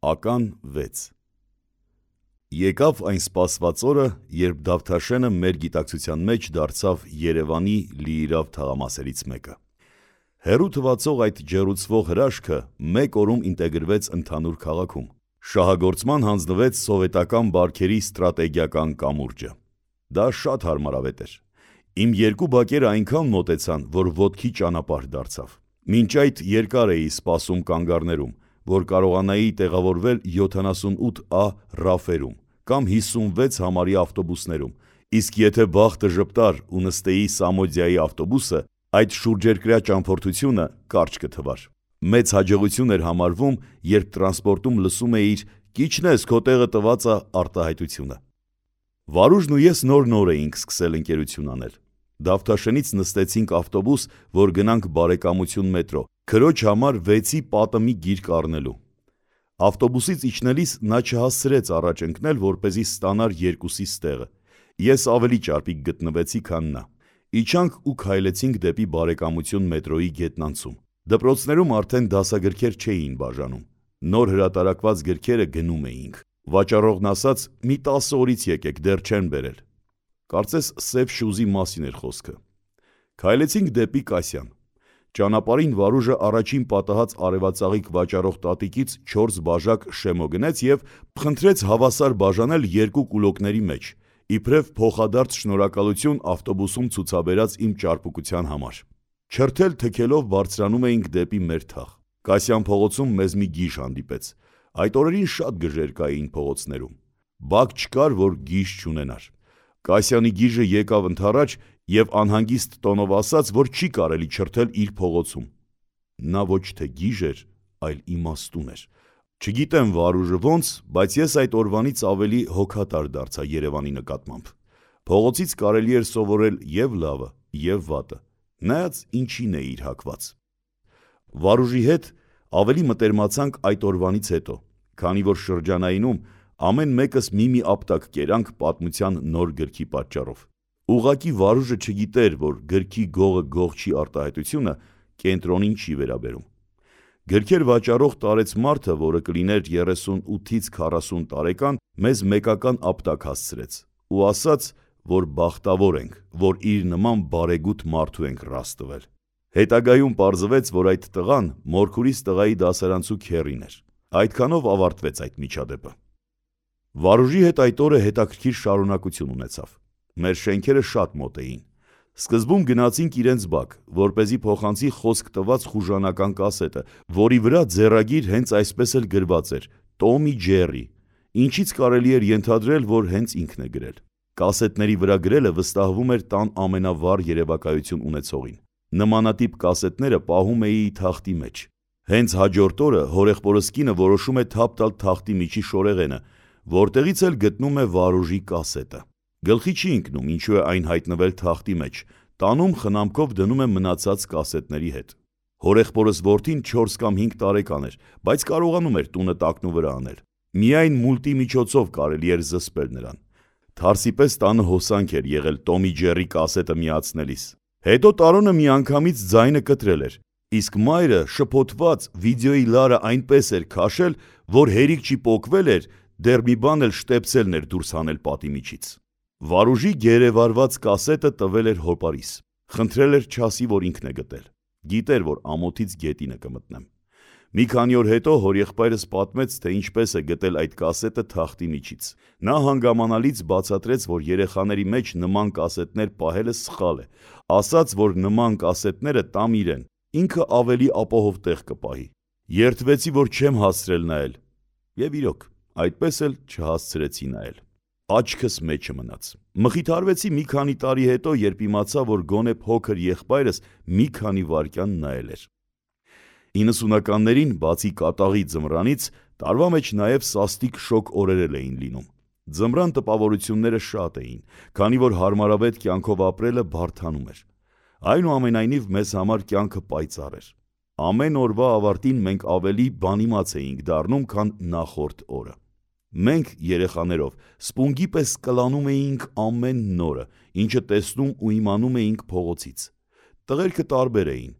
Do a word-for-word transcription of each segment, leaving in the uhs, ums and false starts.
Ական վեց Եկավ այն սպասված օրը, երբ Դավթաշենը մեր գիտակցության մեջ դարձավ Երևանի լիիրավ թաղամասերից մեկը։ Հեռու թվացող այդ ջեռուցվող հրաշքը մեկ օրում ինտեգրվեց ընդհանուր քաղաքում։ Շահագործման հանձնվեց սովետական բարքերի ստրատեգիական կամուրջը։ Դա շատ հարմարավետ էր։ Իմ երկու բակերը այնքան մոտեցան, որ ոտքի ճանապարհ դարձավ։ Մինչ այդ երկար էի սպասում կանգառներում, որ կարողանայի տեղավորվել յոթանասունութ ա ռաֆերում կամ հիսունվեց համարի ավտոբուսներում, իսկ եթե բախտը ժպտար ու նստեի Սամոդիայի ավտոբուսը, այդ շուրջերկրյա ճամփորդությունը կարճ կթվար։ Մեծ հաջողություն էր համարվում, երբ տրանսպորտում լսում էիր «Կիչնես, քո տեղը տված ա» արտահայտությունը։ Վարուժն ու ես նոր-նոր էինք սկսել ընկերություն անել։ Դավթաշենից նստեցինք ավտոբուս, որ գնանք Բարեկամություն մետրո, քրոջ համար վեցի պատըմի գիրք առնելու։ Ավտոբուսից իջնելիս նա չհասցրեց առաջ ընկնել, որպեսզի ստանար երկուսիս տեղը։ Ես ավելի ճարպիկ գտնվեցի, քան նա։ Իջանք ու քայլեցինք դեպի Բարեկամություն մետրոյի գետնանցում։ Դպրոցներում արդեն դասագրքեր չէին բաժանում։ Նոր հրատարակված գրքերը գնում էինք։ Վաճառողն ասաց՝ մի տասը օրից եկեք, դեռ չեն բերել։ Կարծես սև շուզի մասին էր խոսքը։ Քայլեցինք դեպի Կասյան։ Ճանապարհին Վարուժը առաջին պատահած արևածաղիկ վաճառող տատիկից չորս բաժակ շեմո գնեց և խնդրեց հավասար բաժանել երկու կուլոկների մեջ, իբրև փոխադարձ շնորհակալություն ավտոբուսում ցուցաբերած իմ ճարպկության համար։ Չրթել թքելով բարձրանում էինք դեպի մեր թաղ։ Կասյան փողոցում մեզ մի գիժ հանդիպեց։ Այդ օրերին շատ գժեր կային փողոցներում։ Բակ չկար, որ գիժ չունենար։ Կասյանի գիժը եկավ ընդառաջ և անհանգիստ տոնով ասաց, որ չի կարելի չրթել իր փողոցում։ Նա ոչ թե գիժ էր, այլ իմաստուն էր։ Չգիտեմ Վարուժը ոնց, բայց ես այդ օրվանից ավելի հոգատար դարձա Երևանի նկատմամբ։ Փողոցից կարելի էր սովորել և լավը, և վատը, նայած ինչին էիր հակված։ Վարուժի հետ ավելի մտերմացանք այդ օրվանից հետո, քանի որ շրջանայինում ամեն մեկս մի-մի ապտակ կերանք պատմության նոր գրքի պատճառով։ Ուղղակի Վարուժը չգիտեր, որ գրքի գողը գող չի արտահայտությունը կենտրոնին չի վերաբերում։ Գրքեր վաճառող տարեց մարդը, որը կլիներ երեսունութից քառասուն տարեկան, մեզ մեկական ապտակ հասցրեց ու ասաց, որ բախտավոր ենք, որ իր նման բարեգութ մարդու ենք ռաս տվել։ Հետագայում պարզվեց, որ այդ տղան մորքուրիս տղայի դասարանցու քեռին էր։ Այդքանով ավարտվեց այդ միջադեպը։ Վարուժի հետ այդ օրը հետաքրքիր շարունակություն ունեցավ։ Մեր շենքերը շատ մոտ էին։ Սկզբում գնացինք իրենց բակ, որպեսզի փոխանցի խոսք տված խուժանական կասետը, որի վրա ձեռագիր հենց այսպես էլ գրված էր «Տոմ ի Ջերի», ինչից կարելի էր ենթադրել, որ հենց ինքն է գրել։ Կասետների վրա գրելը վստահվում էր տան ամենավառ երևակայություն ունեցողին։ Նմանատիպ կասետները պահում էի թախտի մեջ։ Հենց հաջորդ օրը հորեղբորս կինը որոշում է թափ տալ թախտի միջի շորեղենը, որտեղից էլ գտնում է Վարուժի կասետը։ Գլխի չի ընկնում, ինչու է այն հայտնվել թախտի մեջ, տանում խնամքով դնում է մնացած կասետների հետ։ Հորեղբորս որդին չորս կամ հինգ տարեկան էր, բայց կարողանում էր տունը տակնու վրա անել։ Միայն մուլտի միջոցով կարելի էր զսպել նրան։ Թարսի պես տանը հոսանք էր եղել Տոմ ի Ջերի կասետը միացնելիս։ Հետո Տարոնը միանգամից ձայնը կտրել էր, իսկ մայրը շփոթված վիդեոյի լարը այնպես էր քաշել, որ հերիք չի պոկվել էր, դեռ մի բան էլ շտեպսելն էր դուրս հանել պատի միջից։ Վարուժի գերեվարված կասետը տվել էր հոպարիս։ Խնդրել էր չասի, որ ինքն է գտել։ Գիտեր, որ ամոթից գետինը կմտնեմ։ Մի քանի օր հետո հորեղբայրս պատմեց, թե ինչպես է գտել այդ կասետը թախտի միջից։ Նա հանգամանալից բացատրեց, որ երեխաների մեջ նման կասետներ պահելը սխալ է, ասաց, որ նման կասետները տամ իրեն, ինքը ավելի ապահով տեղ կպահի։ Երդվեցի, որ չեմ հասցրել նայել։ Եվ իրոք, այդպես էլ չհասցրեցի նայել։ Աչքս մեջը մնաց։ Մխիթարվեցի մի քանի տարի հետո, երբ իմացա, որ գոնե փոքր եղբայրս մի քանի վայրկյան նայել էր։ իննսունականներին, բացի կատաղի ձմռանից, տարվա մեջ նաև սաստիկ շոգ օրեր էլ էին լինում։ Ձմռան տպավորությունները շատ էին, քանի որ հարմարավետ կյանքով ապրելը բարդանում էր։ Այնուամենայնիվ մեզ համար կյանքը պայծառ էր։ Ամեն օրվա ավարտին մենք ավելի բանիմաց էինք դառնում, քան նախորդ օրը։ Մենք երեխաներով սպունգի պես կլանում էինք ամեն նորը, ինչը տեսնում ու իմանում էինք փողոցից։ Տղերքը տարբեր էին։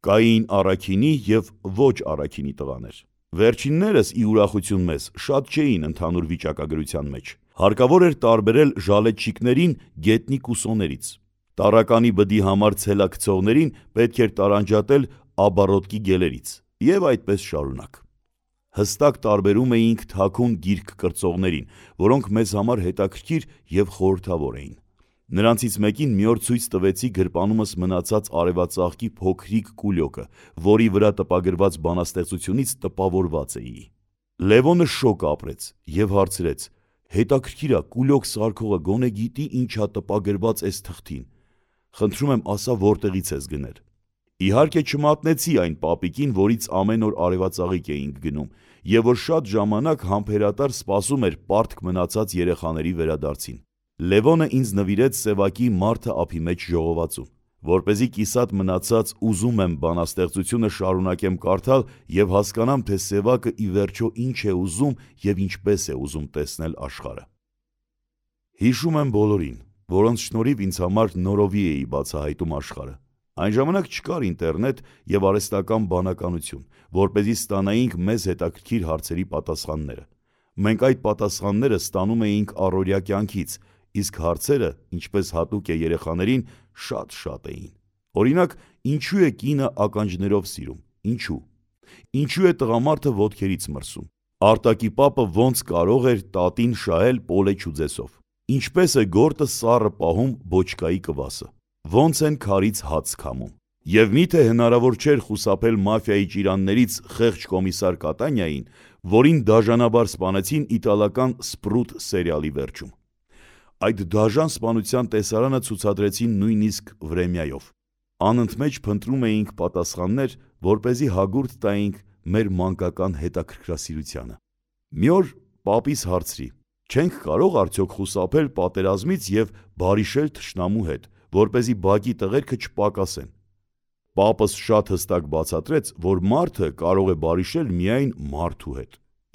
Կային առաքինի և ոչ առաքինի տղաներ։ Վերջիններս ի ուրախություն մեզ շատ չէին ընդհանուր վիճակագրության մեջ։ Հարկավոր էր տարբերել ժալետչիկներին գետնի կուսոներից։ Տառականի բդի համար ցելակցողներին պետք էր տարանջատել աբառոտկի գելերից, եւ այդպես շարունակ։ Հստակ տարբերում էինք թաքուն գիրք կրծողներին, որոնք մեզ համար հետաքրքիր եւ խորհրդավոր էին։ Նրանցից մեկին մի օր ցույց տվեցի գրպանումս մնացած արևածաղկի փոքրիկ կուլյոկը, որի վրա տպագրված բանաստեղծությունից տպավորված էի։ Լևոնը շոկ ապրեց եւ հարցրեց. «Հետաքրքիր է, կուլյոկ սարքողը գոնե գիտի ինչ ա տպագրված էս թղթին։ Խնդրում եմ, ասա որտեղից ես գնել»։ Իհարկե չմատնեցի այն պապիկին, որից ամեն օր արևածաղիկ էինք գնում, եւ որ շատ ժամանակ համբերատար սպասում էր պարտք մնացած երեխաների վերադարձին։ Լևոնը ինձ նվիրեց սևակի «Մարդը ափի մեջ» ժողովածուն, որպեսզի կիսատ մնացած «ուզում եմ» բանաստեղծությունը շարունակեմ կարդալ եւ հասկանամ, թե Սևակը ի վերջո ինչ է ուզում եւ ինչպես է ուզում տեսնել աշխարհը։ Հիշում եմ բոլորին, որոնց շնորհիվ ինձ համար նորովի էի բացահայտում աշխարհը։ Այն ժամանակ չկար ինտերնետ եւ արհեստական բանականություն, որպեսզի ստանայինք մեզ հետաքրքիր հարցերի պատասխանները։ Մենք այդ պատասխանները ստանում էինք առօրյա կյանքից, իսկ հարցերը, ինչպես հատուկ է երեխաներին, շատ-շատ էին։ Օրինակ, ինչու է կինը ականջներով սիրում, ինչու։ Ինչու է տղամարդը ոտքերից մրսում։ Արտակի պապը ոնց կարող էր տատին շահել պոլե չուձեսով։ Ինչպես է գորտը սառը պահում բոչկայի կվասը։ Ոնց են քարից հաց քամում։ Եվ միթե հնարավոր չէր խուսափել մաֆիայի ճիրաններից խեղճ կոմիսար Կատանյային, որին դաժանաբար սպանեցին իտալական Սպրութ սերիալի վերջում։ Այդ դաժան սպանության տեսարանը ցուցադրեցին նույնիսկ Վրեմյայով։ Անընդմեջ փնտրում էինք պատասխաններ, որպեսզի հագուրդ տայինք մեր մանկական հետաքրքրասիրությանը։ Մի օր պապիս հարցրի. «Չենք կարող արդյոք խուսափել պատերազմից եւ բարիշել թշնամու հետ, որպեսզի բակի տղերքը չպակասեն»։ Պապս շատ հստակ բացատրեց, որ մարդը կարող է բարիշել միայն մարդու հետ,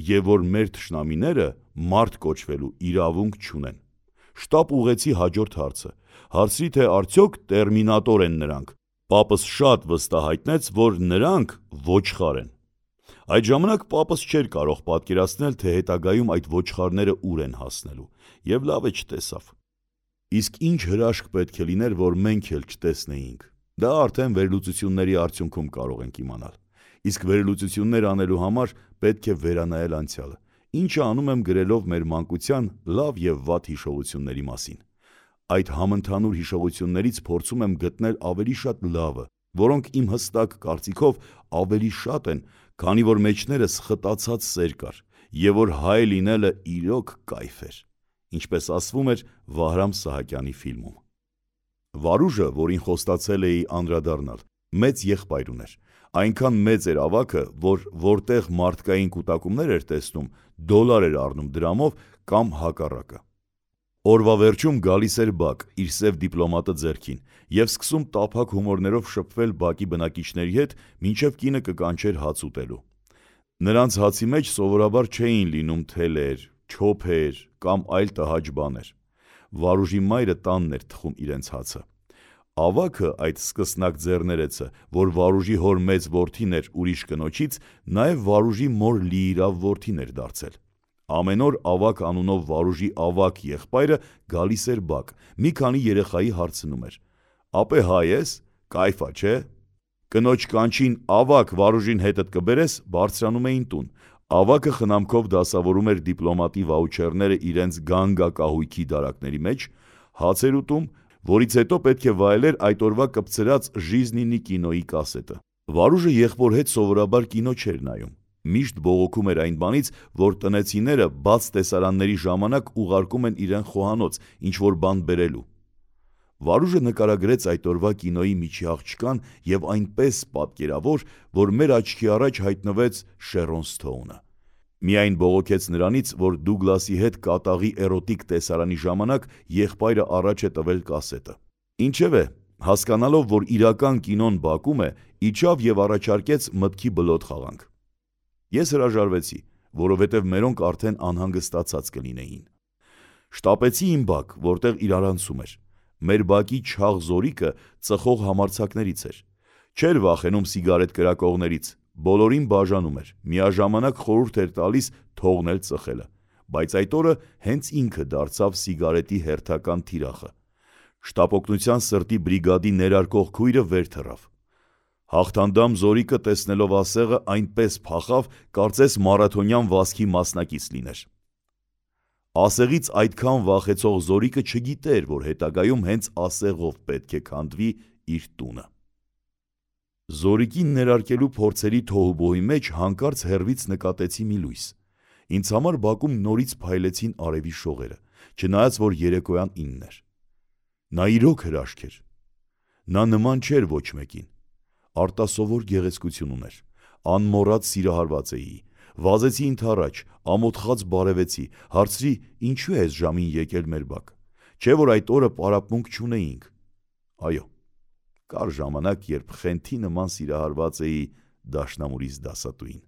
եւ որ մեր թշնամիները մարդ կոչվելու իրավունք չունեն։ Շտապ ուղղեցի հաջորդ հարցը, հարցրի, թե արդյոք տերմինատոր են նրանք։ Պապս շատ վստահ հայտնեց, որ նրանք ոչխար են։ Այդ ժամանակ պապս չէր կարող պատկերացնել, թե հետագայում այդ ոչխարները ուր են հասնելու, եւ լավ է չտեսավ։ Իսկ ինչ հրաշք պետք է լիներ, որ մենք էլ չտեսնեինք։ Դա արդեն վերլուծությունների արդյունքում կարող ենք իմանալ։ Իսկ վերլուծություններ անելու համար պետք է վերանայել անցյալը, ինչը անում եմ գրելով մեր մանկության լավ եւ վատ հիշողությունների մասին։ Այդ համընդհանուր հիշողություններից փորձում եմ գտնել ավելի շատ լավը, որոնք իմ հստակ կարծիքով ավելի շատ են, քանի որ մեջներս խտացած սեր կար, եւ որ հայ լինելը իրոք կայֆ էր, ինչպես ասվում էր Վահրամ Սահակյանի ֆիլմում։ Վարուժը, որին խոստացել էի անդրադառնալ, մեծ եղբայր ուներ, այնքան մեծ էր ավագը, որ որտեղ մարդկային կուտակումներ էր տեսնում, դոլար էր առնում դրամով կամ հակառակը։ Օրվա վերջում գալիս էր Բակ իր սև դիպլոմատը ձեռքին եւ սկսում տափակ հումորներով շփվել Բակի բնակիչների հետ, մինչեւ կինը կկանչեր հաց ուտելու։ Նրանց հացի մեջ սովորաբար չէին լինում թելեր, չոփեր կամ այլ տհաճ բաներ։ Վարուժի մայրը տանն էր թխում իրենց հացը։ Ավագը, այդ սկսնակ ձեռներեցը, որ Վարուժի հոր մեծ որդին էր ուրիշ կնոջից, նաեւ Վարուժի մոր լիիրավ որդին էր դարձել։ Ամեն օր Ավագ անունով Վարուժի ավագ եղբայրը գալիս էր Բակ, մի քանի երեխայի հարցնում էր. «Ապե հայ ես, կայֆա չէ»։ Կնոջ կանչին «Ավագ, Վարուժին հետդ կբերես» բարձրանում էին տուն։ Ավագը խնամքով դասավորում էր դիպլոմատի վաուչերները իրենց գանգակահույքի դարակների մեջ, հաց էր ուտում, որից հետո պետք է վայելեր այդ օրվա կպցրած Ժիզնինի կինոյի կասետը։ Վարուժը եղբոր հետ սովորաբար կինո չէր նայում։ Միշտ բողոքում էր այն բանից, որ տնեցիները բաց տեսարանների ժամանակ ուղարկում են իրեն խոհանոց, ինչ-որ բան բերելու։ Վարուժը նկարագրեց այդ օրվա կինոյի միջի աղջկան եւ այնպես պատկերավոր, որ մեր աչքի առաջ հայտնվեց Շերոն Սթոունը։ Միայն բողոքեց նրանից, որ Դուգլասի հետ կատաղի էրոտիկ տեսարանի ժամանակ եղբայրը առաջ է տվել կասետը։ Ինչևէ, հասկանալով, որ իրական կինոն բակում է, իջավ եւ առաջարկեց մտքի բլոտ խաղանք։ Ես հրաժարվեցի, որովհետև մերոնք արդեն անհանգստացած կլինեին։ Շտապեցի իմ բակ, որտեղ իրարանցում էր։ Մեր բակի չաղ զորիկը ծխող համարձակներից էր։ Չէր վախենում սիգարետ կրակողներից, բոլորին բաժանում էր, միաժամանակ խորհուրդ էր տալիս թողնել ծխելը, բայց այդ օրը հենց ինքը դարձավ սիգարետի հերթական թիրախը։ Շտապօգնության սրտի բրիգադի ներարկող քույրը վեր թռավ։ Հաղթանդամ Զորիկը տեսնելով ասեղը այնպես փախավ, կարծես մարաթոնյան վազքի մասնակից լիներ։ Ասեղից այդքան վախեցող Զորիկը չգիտեր, որ հետագայում հենց ասեղով պետք է քանդվի իր տունը։ Զորիկին ներարկելու փորձերի թոհուբոհի մեջ հանկարծ հեռվից նկատեցի մի լույս։ Ինձ համար բակում նորից փայլեցին արևի շողերը, չնայած որ երեկոյան ինն էր։ Նա իրոք հրաշք էր։ Նա նման չէր ոչ մեկին։ Արտասովոր գեղեցկություն ուներ, անմոռաց սիրահարված էի, վազեցի ընդառաջ, ամոթխած բարևեցի, հարցրի ինչու է այս ժամին եկել մեր բակ, չէ որ այդ օրը պարապմունք չունեինք։ Այո, կար ժամանակ, երբ խենթի նման սիրահարված էի դաշնամուրիս դասատուին։